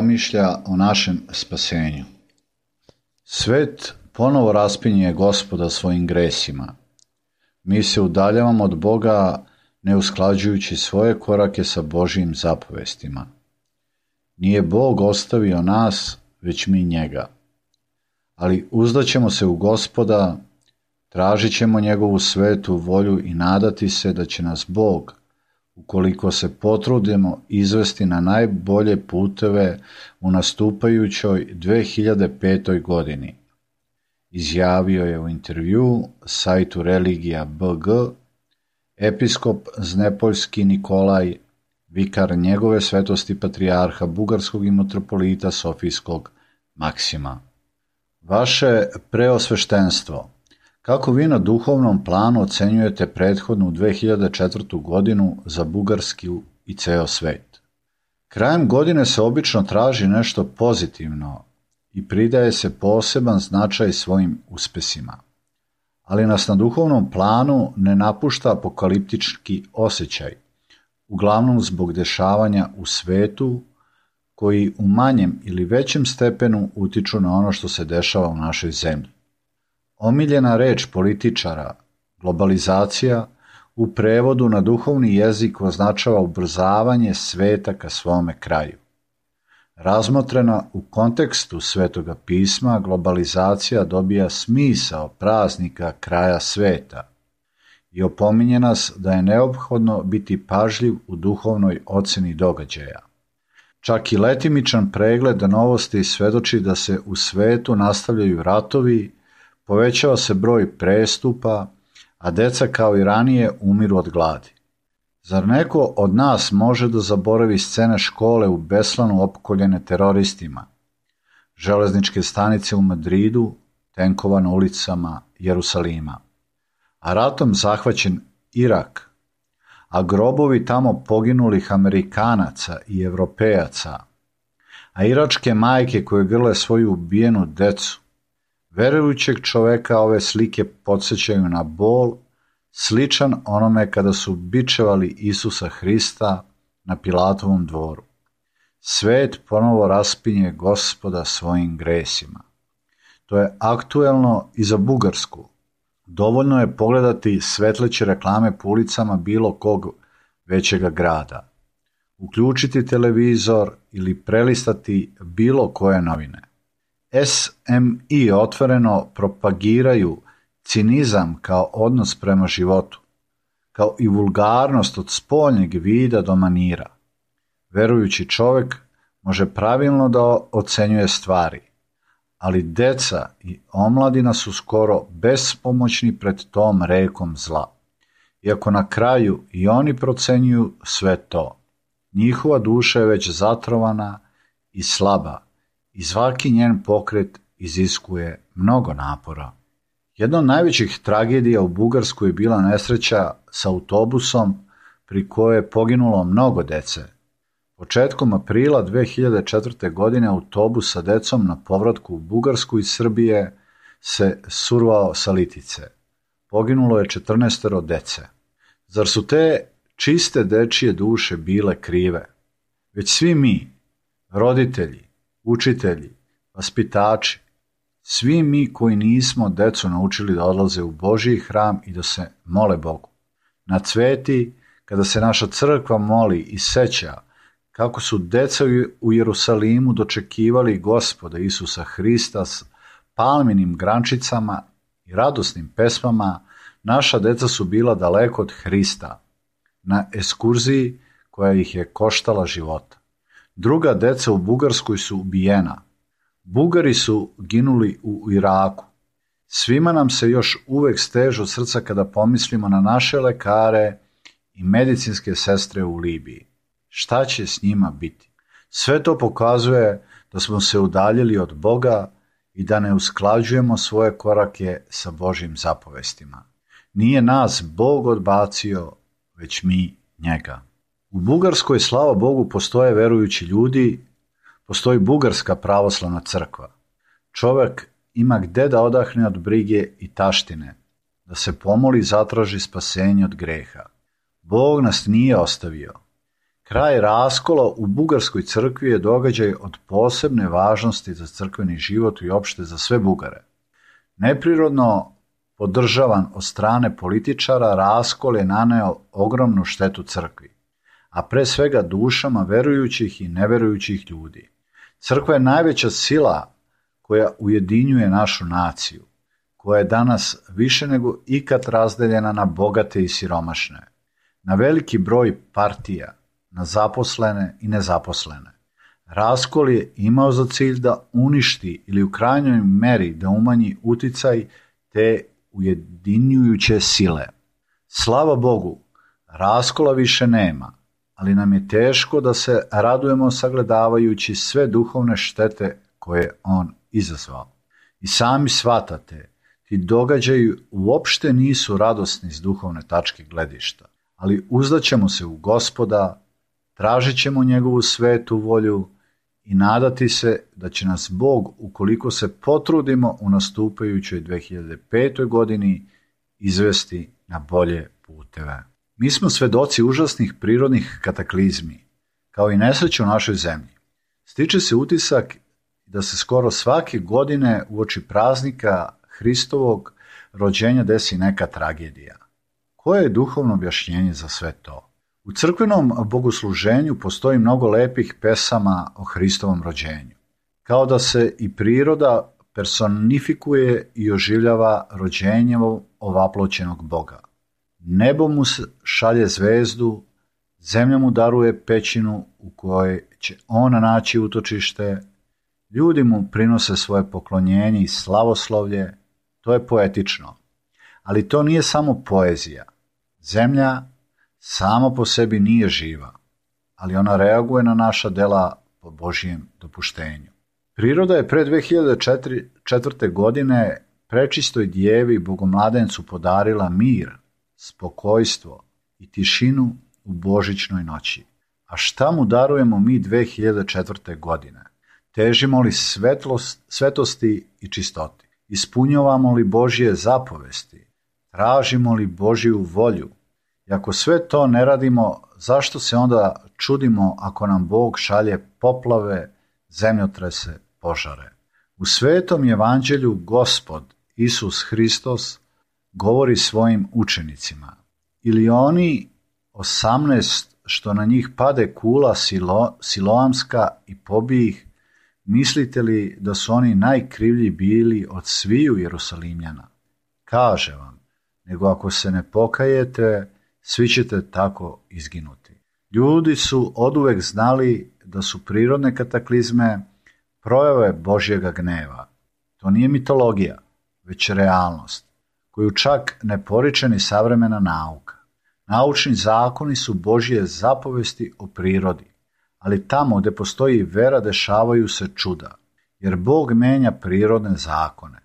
promišlja o našem spasenju. Svet ponovo raspinje Gospoda svojim gresima. Mi se udaljavamo od Boga ne usklađujući svoje korake sa Božjim zapovestima. Nije Bog ostavio nas, već mi njega. Ali uzdaćemo se u Gospoda, tražit ćemo njegovu svetu volju i nadati se da će nas Bog, ukoliko se potrudimo, izvesti na najbolje puteve u nastupajućoj 2005. godini. Izjavio je u intervju sajtu Religija.bg episkop Znepoljski Nikolaj, vikar njegove svetosti patrijarha bugarskog i mitropolita Sofijskog Maksima. Vaše preosveštenstvo, kako vi na duhovnom planu ocenjujete prethodnu 2004. godinu za Bugarsku i ceo svet? Krajem godine se obično traži nešto pozitivno i pridaje se poseban značaj svojim uspesima. Ali nas na duhovnom planu ne napušta apokaliptički osjećaj, uglavnom zbog dešavanja u svetu koji u manjem ili većem stepenu utiču na ono što se dešava u našoj zemlji. Omiljena reč političara, globalizacija, u prevodu na duhovni jezik označava ubrzavanje sveta ka svome kraju. Razmotrena u kontekstu Svetoga pisma, globalizacija dobija smisao praznika kraja sveta i opominje nas da je neophodno biti pažljiv u duhovnoj oceni događaja. Čak i letimičan pregled novosti svedoči da se u svetu nastavljaju ratovi, povećava se broj prestupa, a deca kao i ranije umiru od gladi. Zar neko od nas može da zaboravi scene škole u Beslanu opkoljene teroristima, železničke stanice u Madridu, tenkova na ulicama Jerusalima, a ratom zahvaćen Irak, a grobovi tamo poginulih Amerikanaca i Evropejaca, a iračke majke koje grle svoju ubijenu decu? Verujućeg čoveka ove slike podsjećaju na bol, sličan onome kada su bičevali Isusa Hrista na Pilatovom dvoru. Svet ponovo raspinje Gospoda svojim gresima. To je aktuelno i za Bugarsku. Dovoljno je pogledati svetleće reklame po ulicama bilo kog većega grada, uključiti televizor ili prelistati bilo koje novine. SMI otvoreno propagiraju cinizam kao odnos prema životu, kao i vulgarnost od spoljnjeg vida do manira. Verujući čovjek može pravilno da ocenjuje stvari, ali deca i omladina su skoro bespomoćni pred tom rekom zla. Iako na kraju i oni procenjuju sve to, njihova duša je već zatrovana i slaba i svaki njen pokret iziskuje mnogo napora. Jedna od najvećih tragedija u Bugarskoj je bila nesreća s autobusom pri kojoj je poginulo mnogo dece. Početkom aprila 2004. godine autobus sa decom na povratku u Bugarsku iz Srbije se survao sa Litice. Poginulo je 14 dece. Zar su te čiste dečije duše bile krive? Već svi mi, roditelji, učitelji, vaspitači, svi mi koji nismo decu naučili da odlaze u Božji hram i da se mole Bogu. Na Cveti, kada se naša crkva moli i seća kako su deca u Jerusalimu dočekivali Gospoda Isusa Hrista s palminim grančicama i radosnim pesmama, naša deca su bila daleko od Hrista, na ekskurziji koja ih je koštala života. Druga deca u Bugarskoj su ubijena. Bugari su ginuli u Iraku. Svima nam se još uvek stežu srca kada pomislimo na naše lekare i medicinske sestre u Libiji. Šta će s njima biti? Sve to pokazuje da smo se udaljili od Boga i da ne usklađujemo svoje korake sa Božjim zapovestima. Nije nas Bog odbacio, već mi njega. U Bugarskoj, slava Bogu, postoje verujući ljudi, postoji Bugarska pravoslavna crkva. Čovjek ima gde da odahne od brige i taštine, da se pomoli i zatraži spasenje od greha. Bog nas nije ostavio. Kraj raskola u Bugarskoj crkvi je događaj od posebne važnosti za crkveni život i opšte za sve Bugare. Neprirodno podržavan od strane političara, raskol je naneo ogromnu štetu crkvi, a pre svega dušama verujućih i neverujućih ljudi. Crkva je najveća sila koja ujedinjuje našu naciju, koja je danas više nego ikad razdeljena na bogate i siromašne, na veliki broj partija, na zaposlene i nezaposlene. Raskol je imao za cilj da uništi ili u krajnjoj meri da umanji uticaj te ujedinjujuće sile. Slava Bogu, raskola više nema, ali nam je teško da se radujemo sagledavajući sve duhovne štete koje on izazvao. I sami shvatate, ti događaji uopšte nisu radosni s duhovne tačke gledišta, ali uzdaćemo se u Gospoda, tražit ćemo njegovu svetu volju i nadati se da će nas Bog, ukoliko se potrudimo u nastupajućoj 2005. godini, izvesti na bolje puteve. Mi smo svedoci užasnih prirodnih kataklizmi, kao i nesreće u našoj zemlji. Stiče se utisak da se skoro svake godine uoči praznika Hristovog rođenja desi neka tragedija. Koje je duhovno objašnjenje za sve to? U crkvenom bogosluženju postoji mnogo lepih pesama o Hristovom rođenju. Kao da se i priroda personifikuje i oživljava rođenjem ovaploćenog Boga. Nebo mu šalje zvezdu, zemlja mu daruje pećinu u kojoj će on naći utočište, ljudi mu prinose svoje poklonjenje i slavoslovlje, to je poetično. Ali to nije samo poezija. Zemlja sama po sebi nije živa, ali ona reaguje na naša dela po Božijem dopuštenju. Priroda je pre 2004. godine prečistoj djevi Bogomladencu podarila mir, spokojstvo i tišinu u božićnoj noći. A šta mu darujemo mi 2004. godine? Težimo li svetosti i čistoti? Ispunjavamo li Božje zapovesti? Tražimo li Božju volju? I ako sve to ne radimo, zašto se onda čudimo ako nam Bog šalje poplave, zemljotrese, požare? U svetom evanđelju Gospod Isus Hristos govori svojim učenicima: ili oni 18 što na njih pade kula siloamska i pobije ih, mislite li da su oni najkrivlji bili od sviju Jerusalimljana? Kaže vam, nego ako se ne pokajete, svi ćete tako izginuti. Ljudi su oduvek znali da su prirodne kataklizme projave Božjega gneva. To nije mitologija, već realnost, koju čak ne poriče ni savremena nauka. Naučni zakoni su Božje zapovesti o prirodi, ali tamo gde postoji vera dešavaju se čuda, jer Bog menja prirodne zakone,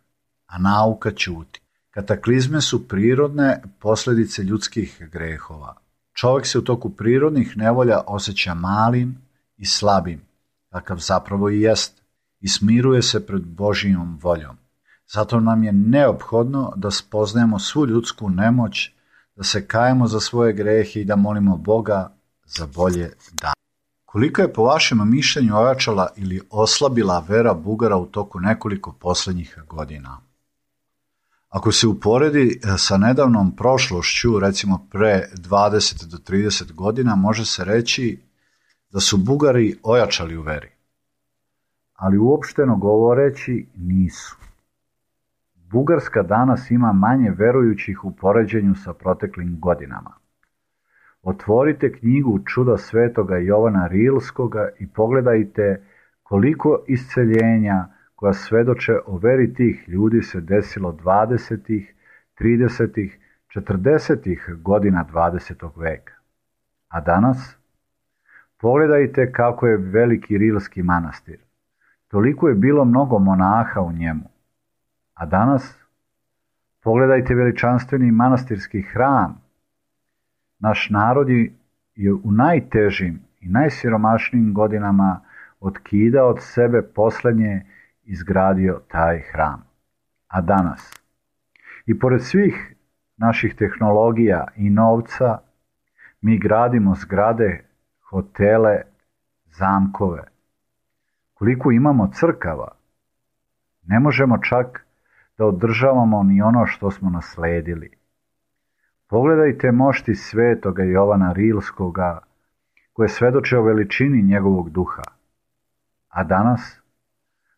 a nauka ćuti. Kataklizme su prirodne posljedice ljudskih grehova. Čovjek se u toku prirodnih nevolja osjeća malim i slabim, kakav zapravo i jest, i smiruje se pred Božjom voljom. Zato nam je neophodno da spoznajemo svu ljudsku nemoć, da se kajemo za svoje grehe i da molimo Boga za bolje dane. Koliko je po vašem mišljenju ojačala ili oslabila vera Bugara u toku nekoliko posljednjih godina? Ako se uporedi sa nedavnom prošlošću, recimo pre 20 do 30 godina, može se reći da su Bugari ojačali u veri. Ali uopšteno govoreći nisu. Bugarska danas ima manje verujućih u poređenju sa proteklim godinama. Otvorite knjigu Čuda svetoga Jovana Rilskoga i pogledajte koliko isceljenja koja svedoče o veri tih ljudi se desilo 20., 30., 40. godina 20. veka. A danas? Pogledajte kako je veliki Rilski manastir. Toliko je bilo mnogo monaha u njemu. A danas? Pogledajte veličanstveni manastirski hram. Naš narod je u najtežim i najsiromašnijim godinama otkidao od sebe posljednje izgradio taj hram. A danas? I pored svih naših tehnologija i novca, mi gradimo zgrade, hotele, zamkove. Koliko imamo crkava, ne možemo čak da održavamo ni ono što smo nasledili. Pogledajte mošti svetoga Jovana Rilskoga, koje svedoče o veličini njegovog duha. A danas,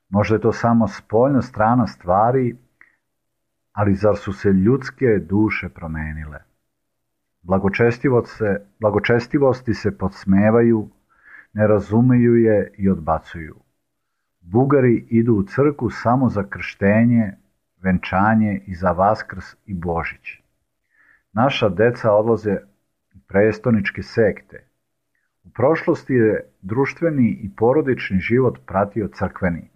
možda je to samo spoljna strana stvari, ali zar su se ljudske duše promenile? Blagočestivosti se podsmevaju, ne razumeju je i odbacuju. Bugari idu u crkvu samo za krštenje, venčanje i za Vaskrs i Božić. Naša deca odlaze u prestoničke sekte. U prošlosti je društveni i porodični život pratio crkveni,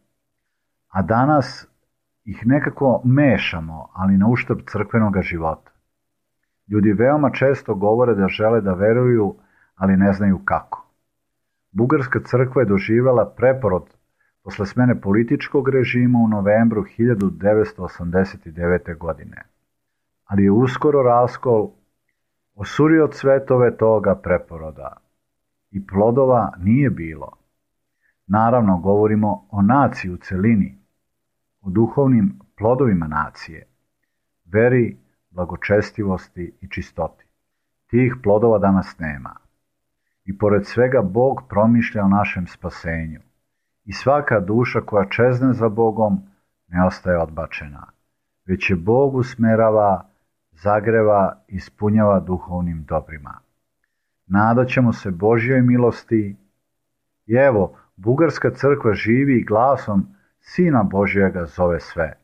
a danas ih nekako mešamo, ali na uštrb crkvenog života. Ljudi veoma često govore da žele da veruju, ali ne znaju kako. Bugarska crkva je doživjela preporod posle smene političkog režima u novembru 1989. godine, ali je uskoro raskol osurio cvetove toga preporoda i plodova nije bilo. Naravno, govorimo o naciji u celini, o duhovnim plodovima nacije, veri, blagočestivosti i čistoti. Tih plodova danas nema. I pored svega Bog promišlja o našem spasenju. I svaka duša koja čezne za Bogom ne ostaje odbačena, već je Bog usmerava, zagreva i ispunjava duhovnim dobrima. Nadat ćemo se Božjoj milosti i evo, Bugarska crkva živi i glasom Sina Božjega zove sve.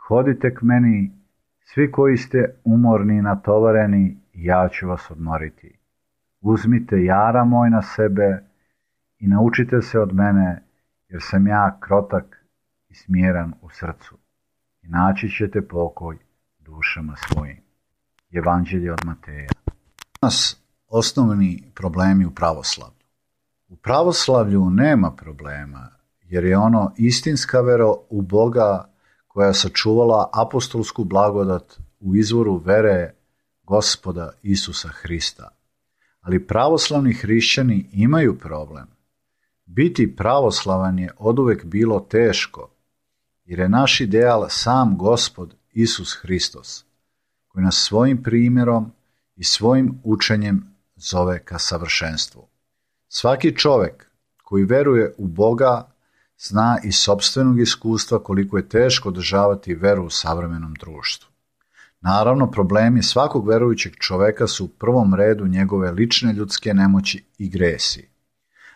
Hodite k meni, svi koji ste umorni i natovareni, i ja ću vas odmoriti. Uzmite jara moj na sebe i naučite se od mene, jer sam ja krotak i smjeran u srcu. I naći ćete pokoj dušama svojim. Evanđelje od Mateja. Danas osnovni problemi u pravoslavlju. U pravoslavlju nema problema, jer je ono istinska vera u Boga koja je sačuvala apostolsku blagodat u izvoru vere Gospoda Isusa Hrista. Ali pravoslavni hrišćani imaju problem. Biti pravoslavan je oduvek bilo teško, jer je naš ideal sam Gospod Isus Hristos, koji nas svojim primjerom i svojim učenjem zove ka savršenstvu. Svaki čovjek koji veruje u Boga zna iz sopstvenog iskustva koliko je teško održavati veru u savremenom društvu. Naravno, problemi svakog verujućeg čoveka su u prvom redu njegove lične ljudske nemoći i gresi.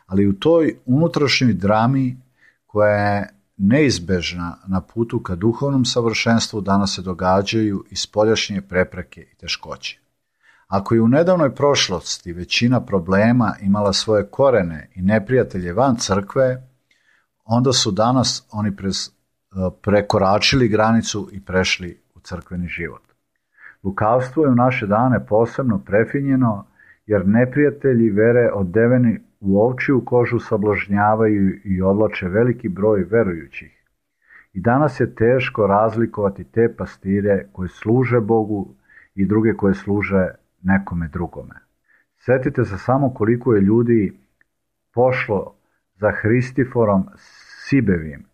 Ali u toj unutrašnjoj drami koja je neizbežna na putu ka duhovnom savršenstvu danas se događaju i spoljašnje prepreke i teškoće. Ako je u nedavnoj prošlosti većina problema imala svoje korene i neprijatelje van crkve, onda su danas oni prekoračili granicu i prešli u crkveni život. Lukavstvo je u naše dane posebno prefinjeno, jer neprijatelji vere odeveni u ovčju kožu sablažnjavaju i odlače veliki broj verujućih. I danas je teško razlikovati te pastire koje služe Bogu i druge koje služe nekome drugome. Sjetite se samo koliko je ljudi pošlo za Hristiforom Sibevim,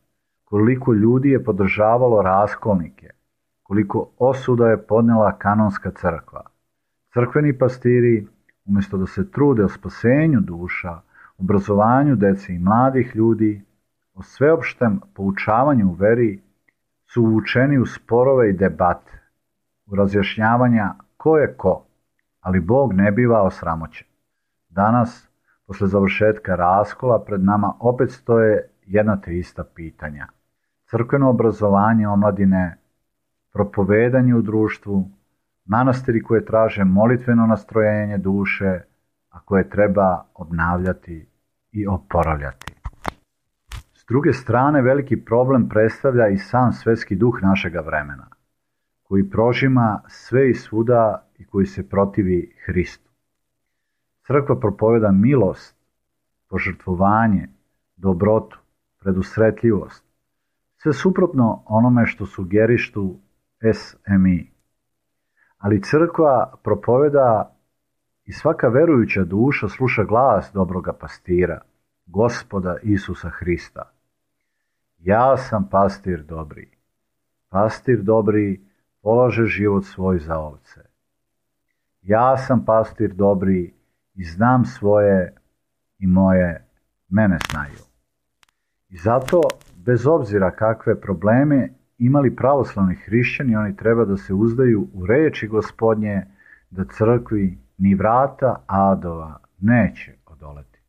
koliko ljudi je podržavalo raskolnike, koliko osuda je podnela kanonska crkva. Crkveni pastiri, umjesto da se trude o spasenju duša, obrazovanju dece i mladih ljudi, o sveopštem poučavanju u veri, su uvučeni u sporove i debate, u razjašnjavanja ko je ko, ali Bog ne biva osramoćen. Danas, posle završetka raskola, pred nama opet stoje jedna te ista pitanja. Crkveno obrazovanje omladine, propovedanje u društvu, manastiri koje traže molitveno nastrojenje duše, a koje treba obnavljati i oporavljati. S druge strane, veliki problem predstavlja i sam svetski duh našega vremena, koji prožima sve i svuda i koji se protivi Hristu. Crkva propoveda milost, požrtvovanje, dobrotu, predusretljivost, sve suprotno onome što sugerištu SMI. Ali crkva propoveda I svaka verujuća duša sluša glas dobroga pastira, Gospoda Isusa Hrista. Ja sam pastir dobri. Pastir dobri polaže život svoj za ovce. Ja sam pastir dobri i znam svoje i moje mene znaju. I zato, bez obzira kakve probleme imali pravoslavni hrišćani, oni treba da se uzdaju u reči Gospodnje, da crkvi ni vrata adova neće odoleti.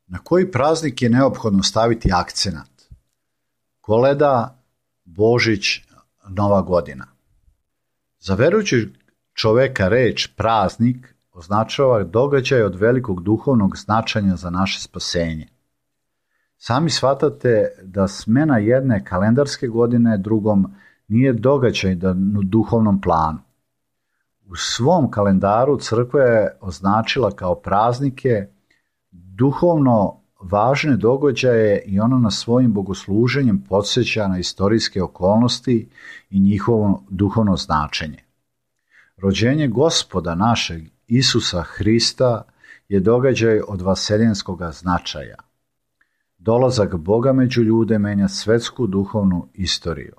Na koji praznik je neophodno staviti akcenat? Koleda, Božić, Nova godina. Za verujućeg čoveka reč praznik označava događaj od velikog duhovnog značenja za naše spasenje. Sami shvatate da smena jedne kalendarske godine drugom nije događaj na duhovnom planu. U svom kalendaru crkva je označila kao praznike duhovno važne događaje i ona na svojim bogosluženjem podsjeća na istorijske okolnosti i njihovo duhovno značenje. Rođenje Gospoda našeg Isusa Hrista je događaj od vaseljenskog značaja. Dolazak Boga među ljude menja svetsku duhovnu istoriju.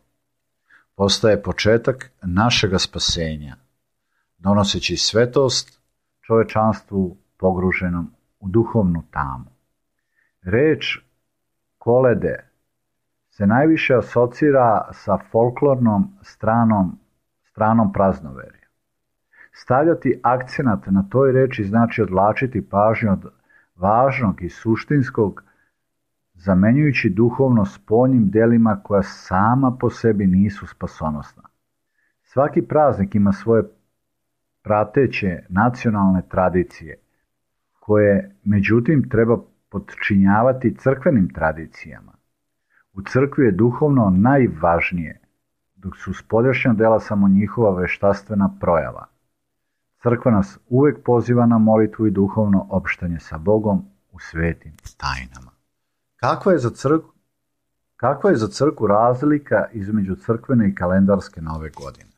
Postaje početak našega spasenja, donoseći svetost čovečanstvu pogruženom u duhovnu tamu. Reč kolede se najviše asocira sa folklornom stranom praznoverja. Stavljati akcenat na toj reči znači odvlačiti pažnju od važnog i suštinskog, zamenjujući duhovno spoljnim delima koja sama po sebi nisu spasonosna. Svaki praznik ima svoje prateće nacionalne tradicije, koje međutim treba podčinjavati crkvenim tradicijama. U crkvi je duhovno najvažnije, dok su spoljašnja dela samo njihova veštaštvena projava. Crkva nas uvek poziva na molitvu i duhovno opštanje sa Bogom u svetim tajnama. Kakva je za crkvu razlika između crkvene i kalendarske nove godine?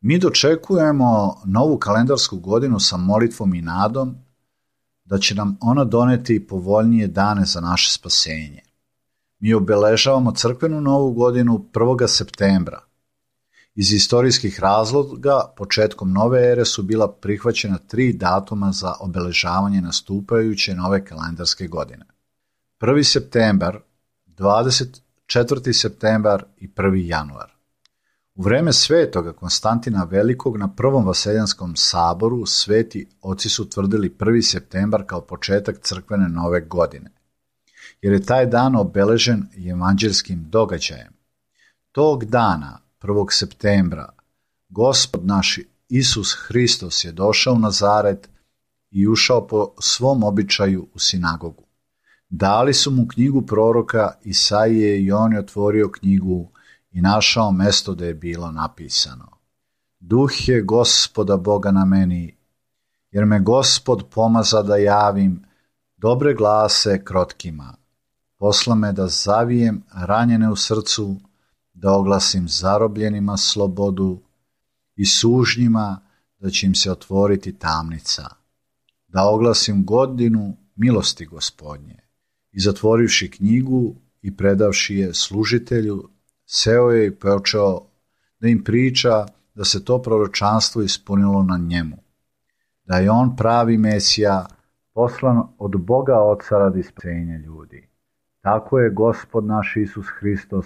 Mi dočekujemo novu kalendarsku godinu sa molitvom i nadom da će nam ona doneti povoljnije dane za naše spasenje. Mi obeležavamo crkvenu novu godinu 1. septembra. Iz istorijskih razloga, početkom nove ere su bila prihvaćena 3 datuma za obeležavanje nastupajuće nove kalendarske godine. 1. septembar, 24. septembar i 1. januar. U vreme svetoga Konstantina Velikog na Prvom vaseljanskom saboru sveti oci su tvrdili 1. septembar kao početak crkvene nove godine, jer je taj dan obeležen evanđelskim događajem. Tog dana, 1. septembra, Gospod naš Isus Hristos je došao u Nazaret i ušao po svom običaju u sinagogu. Dali su mu knjigu proroka Isaije i on je otvorio knjigu i našao mesto da je bilo napisano: Duh je Gospoda Boga na meni, jer me Gospod pomaza da javim dobre glase krotkima. Posla me da zavijem ranjene u srcu, da oglasim zarobljenima slobodu i sužnjima da će im se otvoriti tamnica, da oglasim godinu milosti Gospodnje. I zatvorivši knjigu i predavši je služitelju, seo je i počeo da im priča da se to proročanstvo ispunilo na njemu, da je on pravi Mesija, poslan od Boga Oca radi spasenja ljudi. Tako je Gospod naš Isus Hristos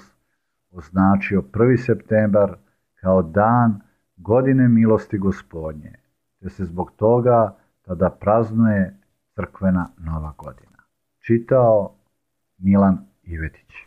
označio 1. septembar kao dan godine milosti Gospodnje, te se zbog toga tada praznuje crkvena nova godina. Čitao Milan Ivetić.